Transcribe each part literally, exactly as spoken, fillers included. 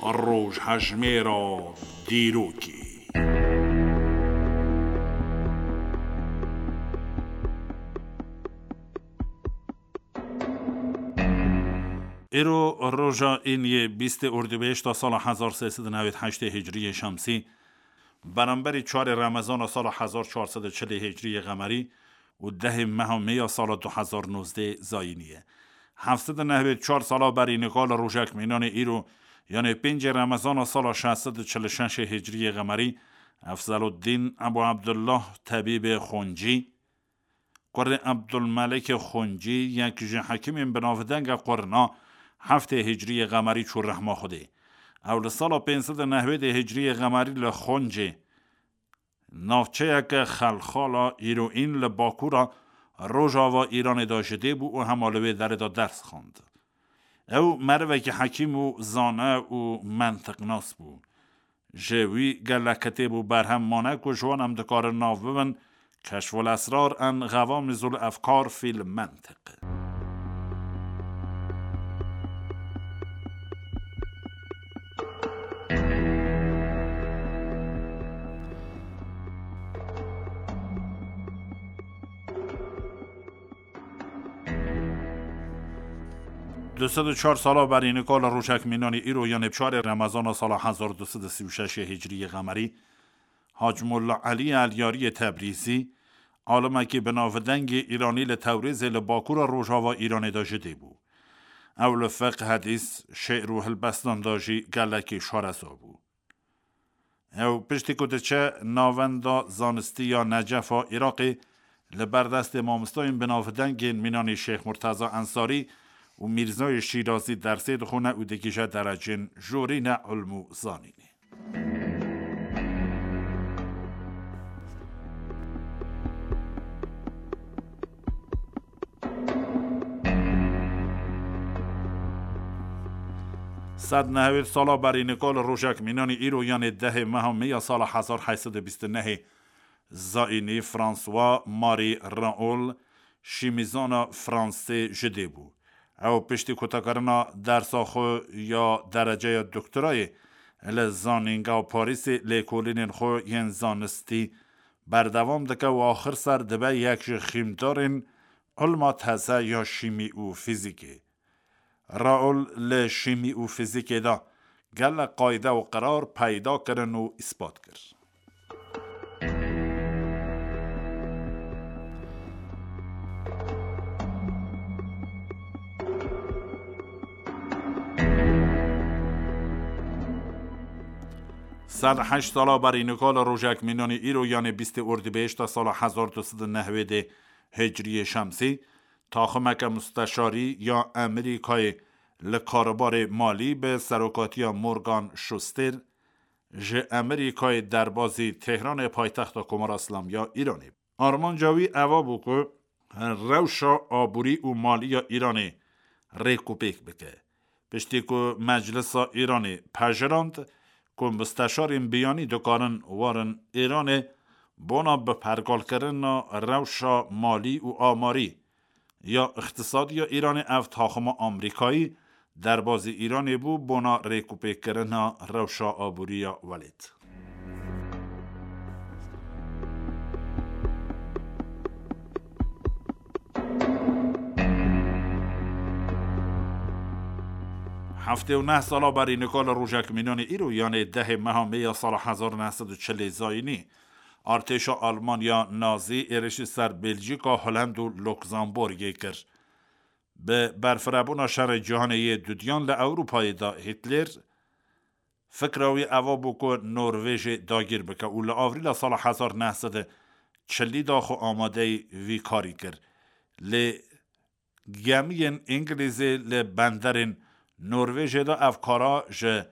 Rojhejmêra dîrokê. Îro roja îniyê bîstê Ordîbehişta sala hezar sê sed û newêd heştê Hicriyê Şemsî, beramberî çarê Remezana sala hezar çar sed û çilê Hicriyê Qemerî û dehê meha Mê ya sala du hezar nozdeh Zayînî ye. Heft sed û newêd çar sala berî nika li rojek mînanê îro, yanê pêncê Remezana sala şeş sed û çil û şeş Hicriyê Qemerî, Efzeluddîn Ebu Ebdullah Tebîbê Xoncî, kurê Ebdulmelikê Xoncî, yek ji hekîmên binavdenge qurna heftê Hicriyê Qemerî çû rehma Xwedê. Ew li sala pênc sed û newêdê Hicriyê Qemerî li Xoncê, navçeyeke xelxala îroîn li bakûra rojava Îranê de ji dê bû û hema li wê derê de ders xwend. Ew merivekî hekîm û zane û mentiqnas bû. Ji wî gelek kitêb û berhem mane ku ji wan em dikarin nav bibin: Keşful Esrar en Xewamizul Efkar fîl Mentiq. Du sed û çar sala berî nika li rojek mînanî îro, yanê çarê Remezana sala hezar du sed û sî û şeş Hicriyê Qemerî, Hac Molla Elî Elyariyê Tebrîzî, alimekî binavdengê Îranî li Tewrêzê li bakûra rojava Îranê de ji dê bû. Ew li fiqh, hedîs, şi'r û hilbestan de jî gelekî şareza bû. Ew piştî ku diçe Navenda Zanistî ya Necefa Iraqê, li ber destê mamostayên binavdengên mînanî Şêx Murteza Ensarî û Mîrzayê Şîrazî dersê dixwine û digihîje derecên jorîne ilm û zanînê. Sed nehwêd sala berî nika li rojek mînanî îro, yanê dehê meha Mê ya sala hezar heyt sed û bîst û nehê Zayînî, François Marie Raoul, şîmîzana fransî ji dê bû. Ew piştî kotekarina dersa xwe ya dereceya doktorayê li Zanîngeha Parîsê lêkolînên xwe yên zanistî berdewam dike û axir ser dibe yek ji xîmdarên ilma teze ya şîmî û fîzîkê. Raoul li şîmî û fîzîkê de gelek qayde û qirar peyda kirin û îspat kir. Sed heşt sala berî nika li rojek mînanî îro, yanê bîstê Ordîbehişta sala hezar du sed û nehwêdê Hicriyê Şemsî, taximeke musteşarî ya Amerîkayê li karûbarê malî bi serokatiya Morgan Schuster ji Amerîkayê derbazî Tehranê, paytexta Komara Îslamî ya Îranê. Armanca wî eva bû ku rewşa aborî û malî ya Îranê rêkûpêk bike. Piştî ku Meclisa Îranê pejirand ku musteşarên biyanî dikarin werin Îranê bona bi pergalkirina rewşa malî û amarî ya îqtisadî ya Îranê, ev taxima Amerîkayî derbazî Îranê bû bona rêkûpêkkirina rewşa aborî ya welêt. Heftê û neh sala berî nika li rojek mînanê îro, yanê dehê meha Mê ya sala hezar neh sed û çilê Zayînî, artêşa Almanya Nazî êrişî ser Belcîka, Holend û Luksemburgê kir. Bi berfirebûna Şerê Cîhanê yê Dudiyan li Ewropayê de Hitler, fikra wî eva bû ku Norvêjê dagîr bike û li Avrîla sala hezar neh sed û çilî de xwe amadeyî vî karî kir. Lê gemiyên Îngilîzê li benderên Norvêjê de ev kara ji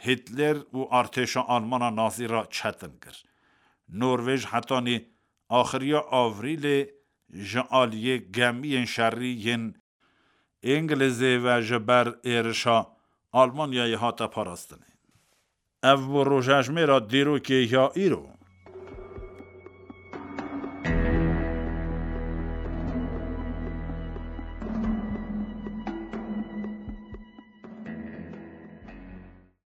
Hitler û artêşa Almana Nazî re çetin kir. Norvêj hetanî axiriya Avrîlê ji aliyê gemiyên şerî yên Îngilîzê ve ji ber êrişa Almanyayê hate parastinê. Ev bû rojejmêra dîrokê ya îro.